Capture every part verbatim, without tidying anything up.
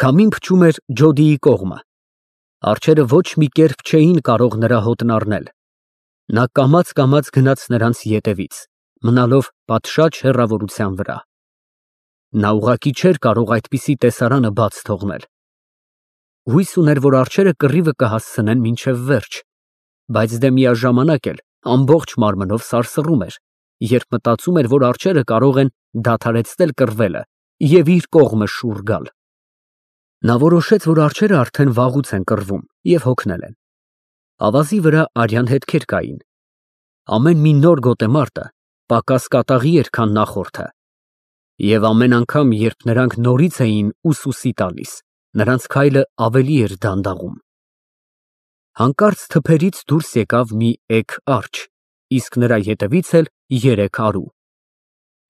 Քամին փչում էր Ջոդիի կողմը։ Արջերը ոչ մի կերպ չէին կարող նրա հոտն առնել։ Նա կամաց֊կամաց գնաց նրանց ետևից, մնալով պատշաճ հեռավորության վրա։ Նա ուղղակի չէր կարող այդպիսի տեսարանը բաց թողնել։ Հույս ուներ, որ արջերը կռիվը կհասցնեն մինչև վերջ, բայց դե միաժամանակ էլ ամբողջ մարմնով սարսռում էր, երբ մտածում էր, որ արջերը կարող են դադարեցնել կռվելը և իր կողմը շուռ գալ։ Նա որոշեց, որ արջերը արդեն վաղուց են կռվում և հոգնել են։ Ավազի վրա արյան հետքեր կային։ Ամեն մի նոր գոտեմարտը պակաս կատաղի էր, քան նախորդը, և ամեն անգամ, երբ նրանք նորից էին ուսուսի տալիս, նրանց քայլը ավելի էր դանդաղում։ Հանկարծ թփերից դուրս եկավ մի էգ արջ, իսկ նրա ետևից էլ երեք արու։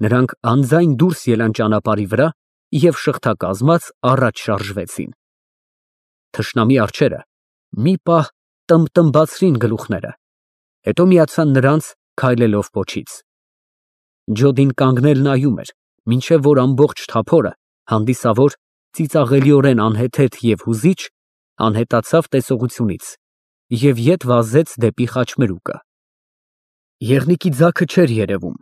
Նրանք անձայն դուրս ելան ճանապարհի վրա և շղթակազմած առաջ շարժվեցին։ Թշնամի արջերը մի պահ տմբտմբացրին գլուխները, հետո միացան նրանց, քայլելով պոչից։ Ջոդին կանգնել նայում էր, մինչև որ ամբողջ թափորը, հանդիսավոր, ծիծաղելիորեն անհեթեթ և հուզիչ, անհետացավ տեսողությունից և ետ վազեց դեպի խաչմերուկը։ Եղնիկի ձագը չէր երևում։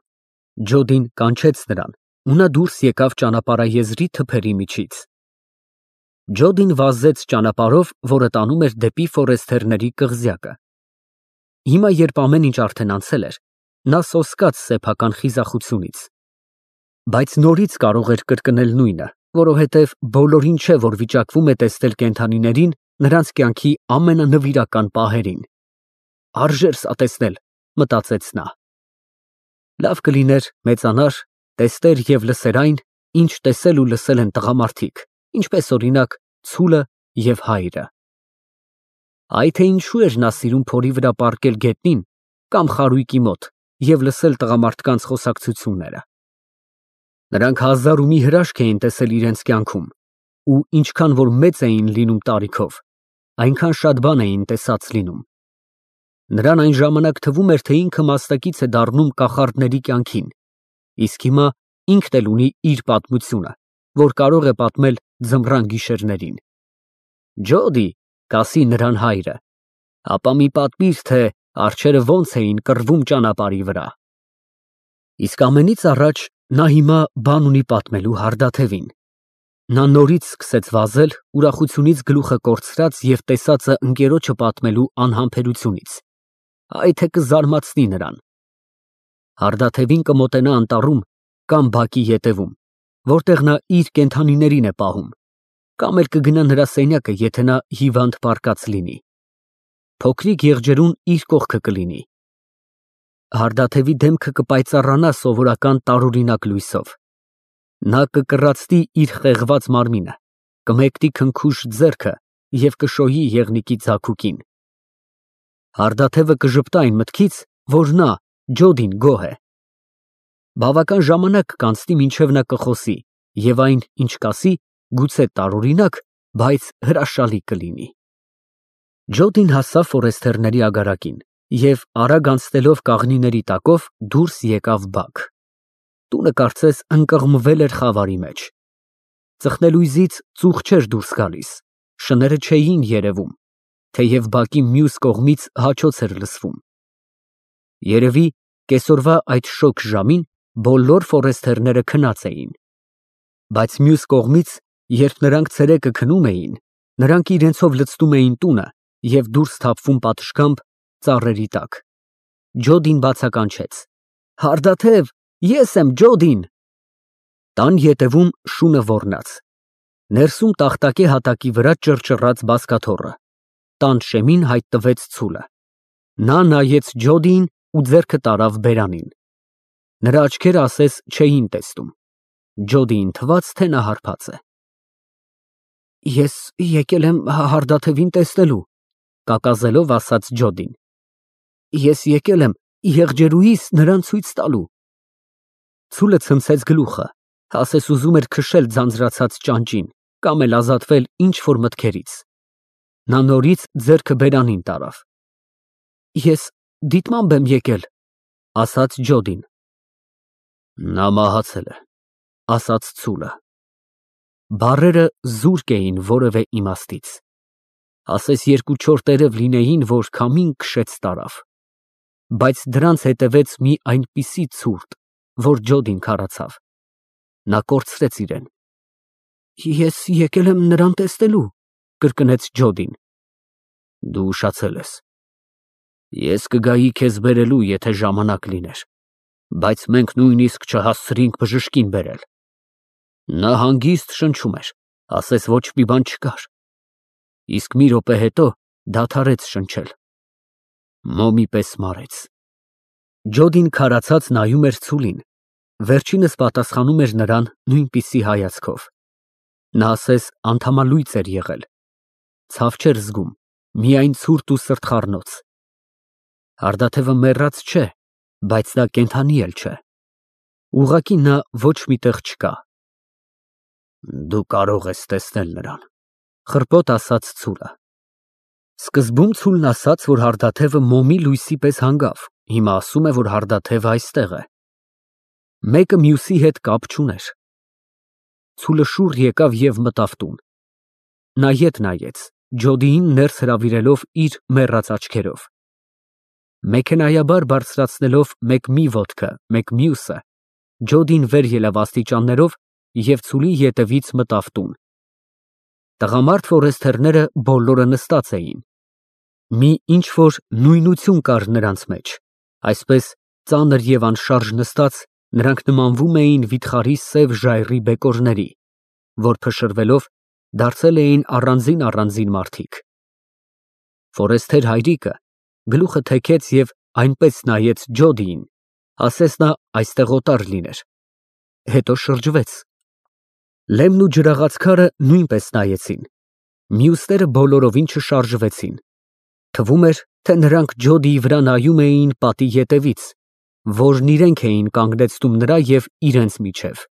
Ջոդին կանչեց նրան, ու նա դուրս եկավ ճանապարհաեզրի թփերի միջից։ Ջոդին վազեց ճանապարհով, որը տանում էր դեպի Ֆորեսթերների կղզյակը։ Հիմա, երբ ամեն ինչ արդեն անցել էր, նա սոսկաց սեփական խիզախությունից։ Բայց նորից կարող էր կրկնել նույնը, որովհետև բոլորին չէ, որ վիճակվում է տեսնել կենդանիներին նրանց կյանքի ամենանվիրական պահերին։ Արժեր սա տեսնել, մտածեց նա։ Լավ կլիներ մեծանար, տեսներ և լսեր այն, ինչ տեսել ու լսել են տղամարդիկ, ինչպես օրինակ ցուլը և հայրը։ Այ թե ինչու էր նա սիրում փորի վրա պառկել գետնին կամ խարույկի մոտ և լսել տղամարդկանց խոսակցությունները։ Նրանք հազար ու մի հրաշք էին տեսել իրենց կյանքում, ու ինչքան որ մեծ էին լինում տարիքով, այնքան շատ բան էին տեսած լինում։ Նրան այն ժամանակ թվում էր, թե ինքը մասնակից է դառնում կախարդների կյանքին, իսկ հիմա ինքն էլ ունի իր պատմությունը, որ կարող է պատմել ձմռան գիշերներին։ Ջոդի, կասի նրան հայրը, ապա մի պատմիր, թե արջերը ոնց էին կռվում ճանապարհի վրա։ Իսկ ամենից առաջ նա հիմա բան ունի պատմելու Հարդաթևին։ Նա նորից սկսեց վազել, ուրախությունից գլուխը կորցրած և տեսածը ընկերոջը պատմելու անհամբերությունից։ Այ թե կզարմացնի նրան։ Հարդաթևին կմոտենա անտառում կամ բակի ետևում, որտեղ նա իր կենդանիներին է պահում, կամ էլ կգնա նրա սենյակը, եթե նա հիվանդ պառկած լինի։ Փոքրիկ եղջերուն իր կողքը կլինի։ Հարդաթևի դեմքը կպայծառանա սովորական տարօրինակ լույսով։ Նա կկռացնի իր խեղված մարմինը, կմեկնի քնքուշ ձեռքը և կշոյի եղնիկի ձագուկին։ Հարդաթևը կժպտա այն մտքից, որ նա, Ջոդին, գոհ է։ Բավական ժամանակ կանցնի, մինչև նա կխոսի, և այն, ինչ կասի, գուցե տարօրինակ, բայց հրաշալի կլինի։ Ջոդին հասավ Ֆորեսթերների ագարակին և, արագ անցնելով կաղնիների տակով, դուրս եկավ բակ։ Տունը կարծես ընկղմվել էր խավարի մեջ։ Ծխնելույզից ծուխ չէր դուրս գալիս, շները չէին երևում, թեև բակի մյուս կողմից հաչոց էր լսվում։ Երևի, կեսօրվա այդ շոգ ժամին բոլոր Ֆորեսթերները քնած էին։ Բայց մյուս կողմից, երբ նրանք ցերեկը քնում էին, նրանք իրենցով լցնում էին տունը և դուրս թափվում պատշգամբ ծառերի տակ։ Ջոդին բացականչեց. Հարդաթև, ես եմ, Ջոդին։ Տան ետևում շունը ոռնաց։ Ներսում տախտակե հատակի վրա ճռճռաց բազկաթոռը։ Տան շեմին հայտնվեց ցուլը։ Նա նայեց Ջոդիին ու ձեռքը տարավ բերանին։ Նրա աչքերը ասես չէին տեսնում։ Ջոդիին թվաց, թե նա հարբած է։ Ես եկել եմ Հարդաթևին տեսնելու, կակազելով ասաց Ջոդին։ Ես եկել եմ եղջերուհիս նրան ցույց տալու։ Ցուլը ցնցեց գլուխը, ասես ուզում էր քշել ձանձրացած ճանճին կամ էլ ազատվել ինչ֊որ մտքերից։ Նա նորից ձեռքը բերանին տարավ։ Ես դիտմամբ եմ եկել, ասաց Ջոդին։ Նա մահացել է, ասաց ցուլը։ Բառերը զուրկ էին որևէ իմաստից։ Ասես երկու-չորս տերև լինեին, որ քամին քշեց տարավ։ Բայց դրանց հետևեց մի այնպիսի ցուրտ, որ Ջոդին քարացավ։ Նա կորցրեց իրեն։ Ես եկել եմ նրան տեսնելու, կրկնեց Ջոդին։ Դու ուշացել ես։ Ես կգայի քեզ բերելու, եթե ժամանակ լիներ, բայց մենք նույնիսկ չհասցրինք բժշկին բերել։ Նա հանգիստ շնչում էր, ասես ոչ մի բան չկար։ Իսկ մի րոպե հետո դադարեց շնչել։ Մոմի պես մարեց։ Ջոդին քարացած նայում էր Ցուլին, վերջինս պատասխանում էր նրան նույնպիսի հայացքով։ Նա ասես անդամալույծ էր եղել։ Ցավ չէր զգում, միայն ցուրտ ու սրտխառնոց։ Հարդաթևը մեռած չէ, բայց նա կենդանի էլ չէ։ Ուղղակի նա ոչ միտեղ չկա։ Դու կարող ես տեսնել նրան, խռպոտ ասաց Ցուլը։ Սկզբում Ցուլն ասաց, որ հարդաթևը մոմի լույսի պես հանգավ, հիմա ասում է, որ հարդաթևը այստեղ է։ Մեկը մյուսի հետ կապ չուներ։ Ցուլը շուռ եկավ և մտավ տուն։ Նա ետ նայեց, Ջոդիին ներս հրավիրելով իր մեռած աչքերով։ Մեքենայաբար բարձրացնելով մեկ մի ոտքը, մեկ մյուսը, Ջոդին վեր ելավ աստիճաններով և Ցուլի ետևից մտավ տուն։ Տղամարդ ֆորեստերները բոլորը նստած էին։ Մի ինչ-որ նույնություն կար նրանց մեջ, այսպես ծանր և անշարժ նստած, նրանք նմանվում էին վիթխարի սև ժայռի բեկորների, որ փշրվելով դարձել էին առանձին֊առանձին մարդիկ։ Ֆորեստեր հայրիկը գլուխը թեքեց և այնպես նայեց Ջոդիին, ասես նա այստեղ օտար լիներ, հետո շրջվեց։ Լեմն ու ջրաղացքարը նույնպես նայեցին, մյուսները բոլորովին չշարժվեցին։ Թվում էր, թե նրանք Ջոդիի վրա նայում էին պատի ետևից, որն իրենք էին կանգնեցնում նրա և իրենց միջև։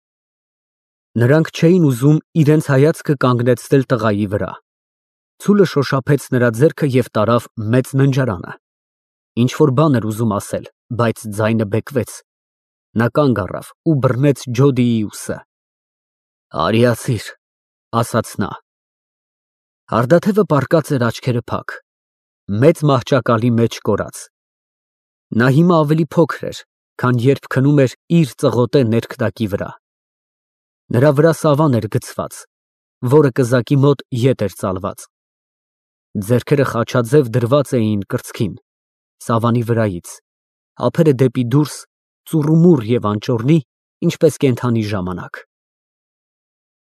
Նրանք չէին ուզում իրենց հայացքը կանգնեցնել տղայի վրա։ Ցուլը շոշափեց նրա ձեռքը և տարավ մեծ ննջարանը։ Ինչ-որ բան էր ուզում ասել, բայց ձայնը բեկվեց։ Նա կանգ առավ ու բռնեց Ջոդիի ուսը։ Արիացիր, ասաց նա։ Հարդաթևը պառկած էր աչքերը փակ, մեծ մահճակալի մեջ կորած։ Նա հիմա ավելի փոքր էր, քան երբ քնում էր իր ծղոտե ներքնակի վրա։ Նրա վրա սավան էր գցված, որը կզակի մոտ ետ էր ծալված։ Ձեռքերը խաչաձև դրված էին կրծքին, սավանի վրայից, ափերը դեպի դուրս, ծուռումուռ և անճոռնի, ինչպես կենդանի ժամանակ։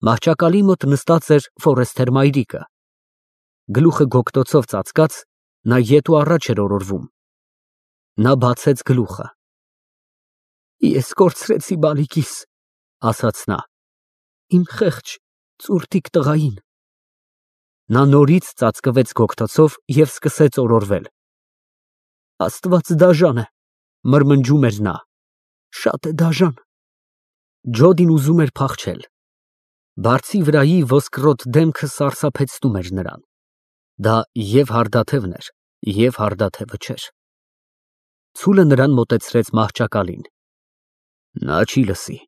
Մահճակալի մոտ նստած էր ֆորեստեր մայրիկը։ Գլուխը գոգտոցով ծածկած, նա ետ ու առաջ էր օրորվում։ Նա բացեց գլուխը։ Ես կորցրեցի բալիկիս, ասաց նա, իմ խեղճ ծուրտիկ տղային։ Նա նորից ծածկվեց գոգտոցով և սկսեց օրորվել։ Աստված դաժան է, մրմնջում էր նա, շատ է դաժան։ Ջոդին ուզում էր փախչել։ Բարձի վրայի ոսկրոտ դեմքը սարսափեցնում էր նրան։ Դա և հարդաթևն էր, և հարդաթևը չէր։ Ցուլը նրան մոտեցրեց մահճակալին։ Նա չի լսի,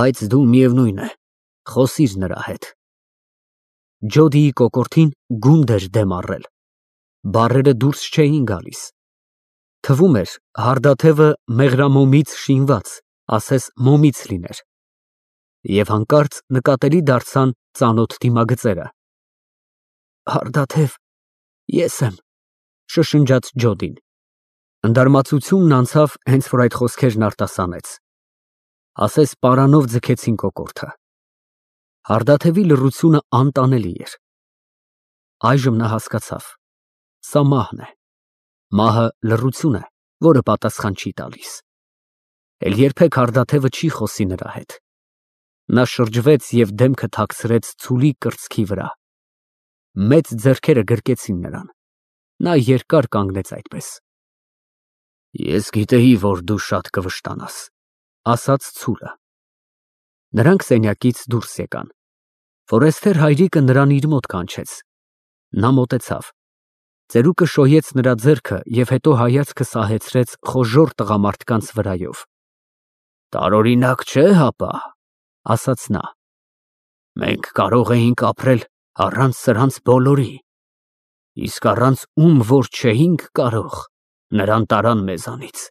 բայց դու միևնույն է, խոսիր նրա հետ։ Ջոդիի կոկորդին գունդ էր դեմ առել։ Բառերը դուրս չէին գալիս։ Թվում էր, հարդաթևը մեղրամոմից շինված, ասես մոմից լիներ։ Եվ հանկարծ նկատելի դարձան ծանոթ դիմագծերը։ Հարդաթև, ես եմ, շշնջաց Ջոդին։ Ընդարմացությունն անցավ, հենց որ այդ խոսքերն արտասանեց։ Ասես պարանով ձգեցին կոկորդը։ Հարդաթևի լռությունը անտանելի էր։ Այժմ նա հասկացավ. սա մահն է։ Մահը լռություն է, որը պատասխան չի տալիս։ Էլ երբեք հարդաթևը չի խոսի նրա հետ։ Նա շրջվեց և դեմքը թաքցրեց Ցուլի կրծքի վրա։ Մեծ ձեռքերը գրկեցին նրան։ Նա երկար կանգնեց այդպես։ Ես գիտեի, որ դու շատ կվշտանաս, ասաց Ցուլը։ Նրանք սենյակից դուրս եկան։ Ֆորեստեր հայրիկը նրան իր մոտ կանչեց։ Նա մոտեցավ։ Ծերուկը շոյեց նրա ձեռքը և հետո հայացքը սահեցրեց խոժոռ տղամարդկանց վրայով։ Տարօրինակ չէ, հապա, ասաց նա։ Մենք կարող էինք ապրել առանց սրանց բոլորի, իսկ առանց ում որ չէինք կարող, նրան տարան մեզանից։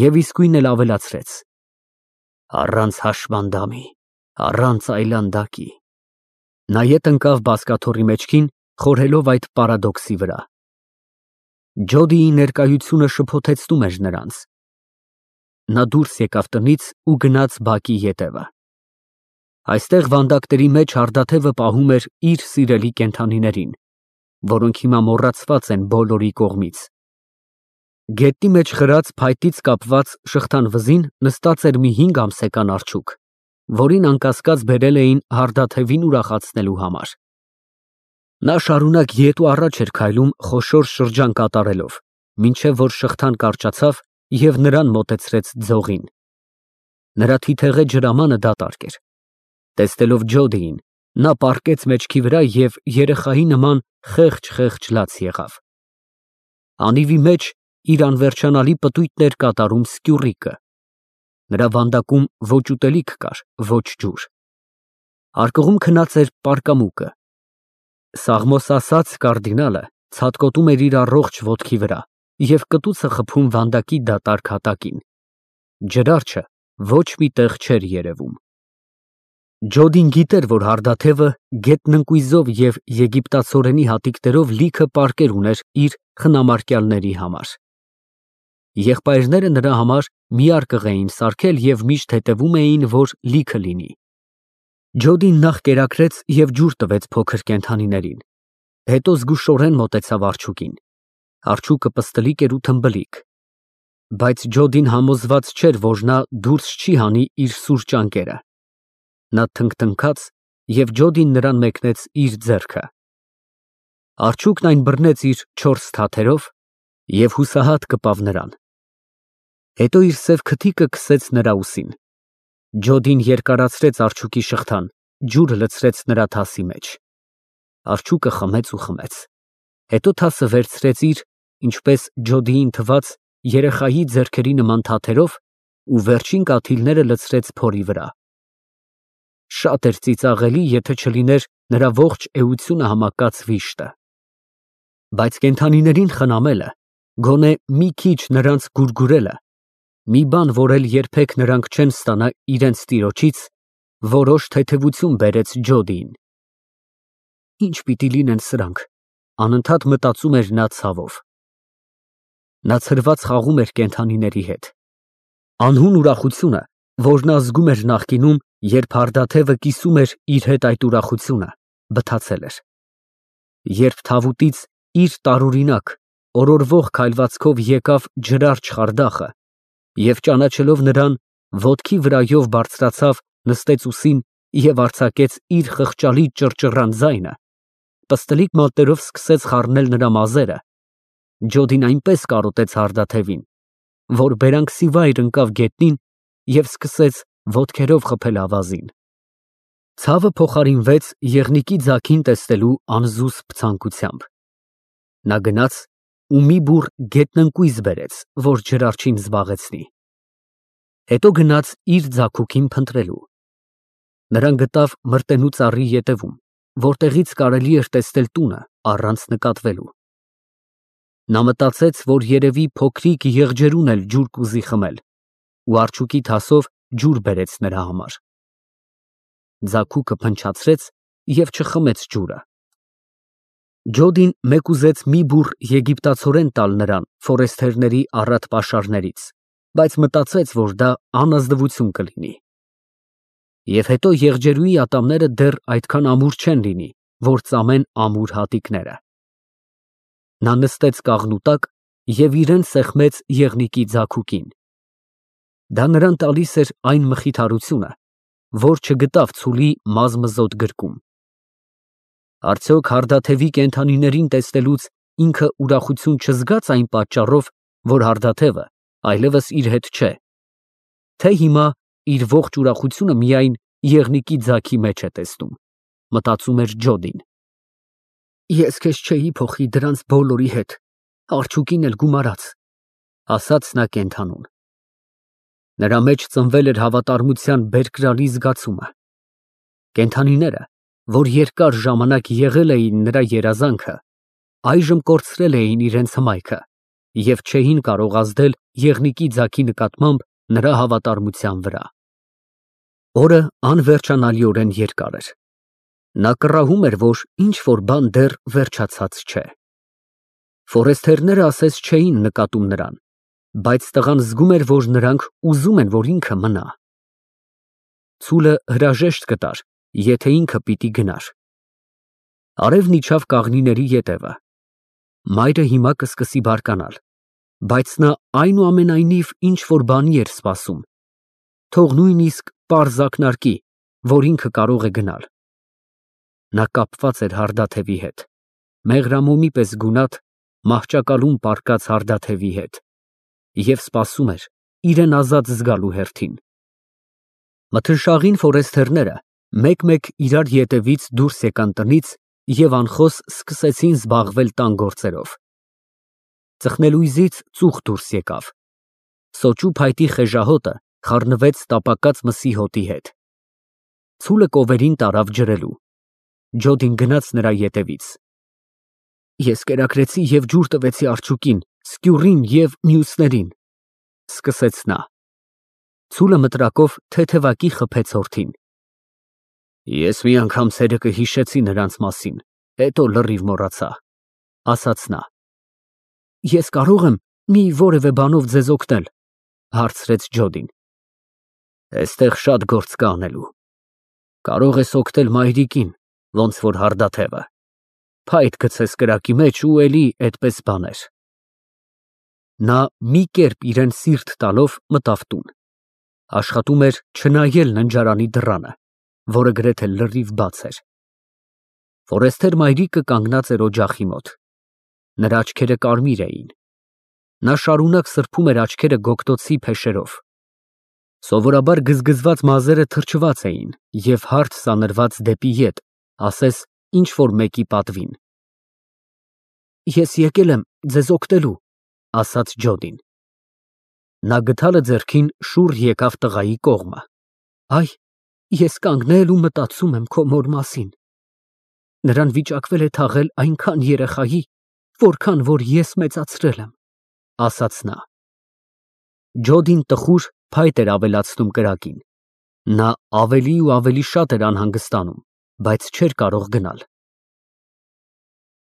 Եվ իսկույն էլ ավելացրեց. առանց հաշմանդամի, առանց այլանդակի։ Նա ետ ընկավ բազկաթոռի մեջքին, խորհելով այդ պարադոքսի վրա։ Ջոդիի ներկայությունը շփոթեցնում էր նրանց։ Նա դուրս եկավ տնից ու գնաց բակի ետևը։ Այստեղ վանդակների մեջ հարդաթևը պահում էր իր սիրելի կենդանիներին, որոնք հիմա մոռացված են բոլորի կողմից։ Գետնի մեջ խրած փայտից կապված շղթան վզին նստած էր մի հինգ ամսական աղջուկ, որին անկասկած բերել էին հարդաթևին ուրախացնելու համար։ Նա շարունակ ետ ու առաջ էր քայլում խոշոր շրջան կատարելով, մինչև որ շղթան կարճացավ և նրան մոտեցրեց ձողին։ Նրա թիթեղե ջրամանը դատարկ էր։ Տեսնելով Ջոդիին, նա պառկեց մեջքի վրա և երեխայի նման խեղճ-խեղճ լաց եղավ։ Անիվի մեջ իր անվերջանալի պտույտն էր կատարում սկյուռիկը։ Նրա վանդակում ոչ ուտելիք կար, ոչ ջուր։ Արկղում քնած էր պարկամուկը։ Սաղմոս ասած կարդինալը ցատկոտում էր իր առողջ ոտքի վրա և կտուցը խփում վանդակի դատարկ հատակին։ Ջրարջը ոչ մի տեղ չէր երևում։ Ջոդին գիտեր, որ հարդաթևը գետնընկույզով և եգիպտացորենի հատիկներով լիքը պարկեր ուներ իր խնամարկյալների համար։ Եղբայրները նրա համար մի արկղ էին սարքել և միշտ հետևում էին, որ լիքը լինի։ Ջոդին նախ կերակրեց և ջուր տվեց փոքր կենդանիներին, հետո զգուշորեն մոտեցավ աղջուկին։ Աղջուկը պստլիկ էր ու թմբլիկ, բայց Ջոդին համոզված չէր, որ նա դուրս չի հանի իր սուր ճանկերը։ Նա թնգթնգաց և Ջոդին նրան մեկնեց իր ձեռքը։ Աղջուկն այն բռնեց իր չորս թաթերով և հուսահատ կպավ նրան։ Հետո իր սև քթիկը քսեց նրա ուսին։ Ջոդին երկարացրեց աղջուկի շղթան, ջուրը լցրեց նրա թասի մեջ։ Աղջուկը խմեց ու խմեց, հետո թասը վերցրեց իր, ինչպես Ջոդիին թվաց, երեխայի ձեռքերի նման թաթերով ու վերջին կաթիլները լցրեց փորի վրա։ Շատ էր ծիծաղելի, եթե չլիներ նրա ողջ էությունը համակած վիշտը։ Բայց կենդանիներին խնամելը, գոնե մի քիչ նրանց գուրգուրելը, մի բան, որ էլ երբեք նրանք չեն ստանա իրենց տիրոջից, որոշ թեթևություն բերեց Ջոդիին։ Ի՞նչ պիտի լինեն սրանք, անընդհատ մտածում էր նա ցավով։ Նա ցրված խաղում էր կենդանիների հետ։ Անհուն ուրախությունը, որ նա զգում էր նախկինում, երբ հարդաթևը կիսում էր իր հետ այդ ուրախությունը, բթացել էր։ Երբ թավուտից իր տարօրինակ, օրորվող քայլվածքով եկավ ջրարջ խարդախը և ճանաչելով նրան, ոտքի վրայով բարձրացավ, նստեց ուսին և արձակեց իր խղճալի ճռճռան ձայնը, պստլիկ մատներով սկսեց խառնել նրա մազերը, Ջոդին այնպես կարոտեց հարդաթևին, որ բերանքսի վայր ընկավ գետնին և սկսեց ոտքերով խփել ավազին։ Ցավը փոխարինվեց եղնիկի ձագին տեսնելու անզուսպ ցանկությամբ։ Նա գնաց ու մի բուռ գետնընկույզ բերեց, որ ջրարջին զբաղեցնի։ Հետո գնաց իր ձագուկին փնտրելու։ Նրան գտավ մրտենու ծառի ետևում, որտեղից կարելի էր տեսնել տունը առանց նկատվելու։ Նա մտածեց, որ երևի փոքրիկ եղջերուն էլ ջուր կուզի խմել, ու աղջուկի թասով ջուր բերեց նրա համար։ Ձագուկը փնչացրեց և չխմեց ջուրը։ Ջոդին մեկուզեց մի բուռ եգիպտացորեն տալ նրան ֆորեստերների առատ պաշարներից, բայց մտածեց, որ դա անազնվություն կլինի։ Եվ հետո եղջերուի ատամները դեռ այդքան ամուր չեն լինի, որ ծամեն ամուր հատիկները։ Նա նստեց կաղնու տակ և իրեն սեղմեց եղնիկի ձագուկին։ Դա նրան տալիս էր այն մխիթարությունը, որ չգտավ ցուլի մազմզոտ գրկում։ Արդյոք հարդաթևի կենդանիներին տեսնելուց ինքը ուրախություն չզգաց այն պատճառով, որ հարդաթևը այլևս իր հետ չէ, թե հիմա իր ողջ ուրախությունը միայն եղնիկի ձագի մեջ է տեսնում, մտածում էր Ջոդին։ Ես քեզ չէի փոխի դրանց բոլորի հետ, աղջուկին էլ գումարած, ասաց նա կենդանուն։ Նրա մեջ ծնվել էր հավատարմության բերկրալի զգացումը։ Կենդանիները, որ երկար ժամանակ եղել էին նրա երազանքը, այժմ կորցրել էին իրենց հմայքը և չէին կարող ազդել եղնիկի ձագի նկատմամբ նրա հավատարմության վրա։ Օրը անվերջանալիորեն երկար էր։ Նա կռահում էր, որ ինչ-որ բան դեռ վերջացած չէ։ Ֆորեստերները ասես չէին նկատում նրան, բայց տղան զգում էր, որ նրանք ուզում են, որ ինքը մնա։ Ցուլը հրաժեշտ կտար, եթե ինքը պիտի գնար։ Արևն իջավ կաղնիների ետևը։ Մայրը հիմա կսկսի բարկանալ, բայց նա այնուամենայնիվ ինչ-որ բանի էր սպասում, թող նույնիսկ պարզ ակնարկի, որ ինքը կարող է գնալ։ Նա կապված էր հարդաթևի հետ, մեղրամոմի պես գունատ, մահճակալում պառկած հարդաթևի հետ, և սպասում էր իրեն ազատ զգալու հերթին։ Մթնշաղին ֆորեստերները մեկ֊մեկ իրար ետևից դուրս եկան տնից և անխոս սկսեցին զբաղվել տան գործերով։ Ծխնելույզից ծուխ դուրս եկավ։ Սոճու փայտի խեժահոտը խառնվեց տապակած մսի հոտի հետ։ Ցուլը կովերին տարավ ջրելու։ Ջոդին գնաց նրա ետևից։ Ես կերակրեցի և ջուր տվեցի արջուկին, սկյուռին և մյուսներին, սկսեց նա։ Ցուլը մտրակով թեթևակի խփեց հորթին։ Ես մի անգամ ցերեկը հիշեցի նրանց մասին, հետո լրիվ մոռացա, ասաց նա։ Ես կարո՞ղ եմ մի որևէ բանով ձեզ օգնել, հարցրեց Ջոդին։ Այստեղ շատ գործ կա անելու։ Կարող ես օգնել մայրիկին, ոնց որ հարդաթևը, փայտ գցես կրակի մեջ ու էլի այդպես բաներ։ Նա մի կերպ իրան սիրտ տալով մտավ տուն։ Աշխատում էր չնայել ննջարանի դռանը, որը գրեթե լրիվ բաց էր։ Ֆորեստեր մայրիկը կանգնած էր օջախի մոտ։ Նրա աչքերը կարմիր էին։ Նա շարունակ սրբում էր աչքերը գոգտոցի փեշերով։ Սովորաբար գզգզված մազերը թրջված էին և հարթ սանրված դեպի ետ, ասես ինչ֊որ մեկի պատվին։ Ես եկել եմ ձեզ օգնելու, ասաց Ջոդին։ Նա գդալը ձեռքին շուռ եկավ տղայի կողմը։ Այ, ես կանգնել ու մտածում եմ քո մոր մասին։ Նրան վիճակվել է թաղել այնքան երեխայի, որքան որ ես մեծացրել եմ, ասաց նա։ Ջոդին տխուր փայտ էր ավելացնում կրակին։ Նա ավելի ու ավելի շատ էր անհանգստանում, բայց չէր կարող գնալ։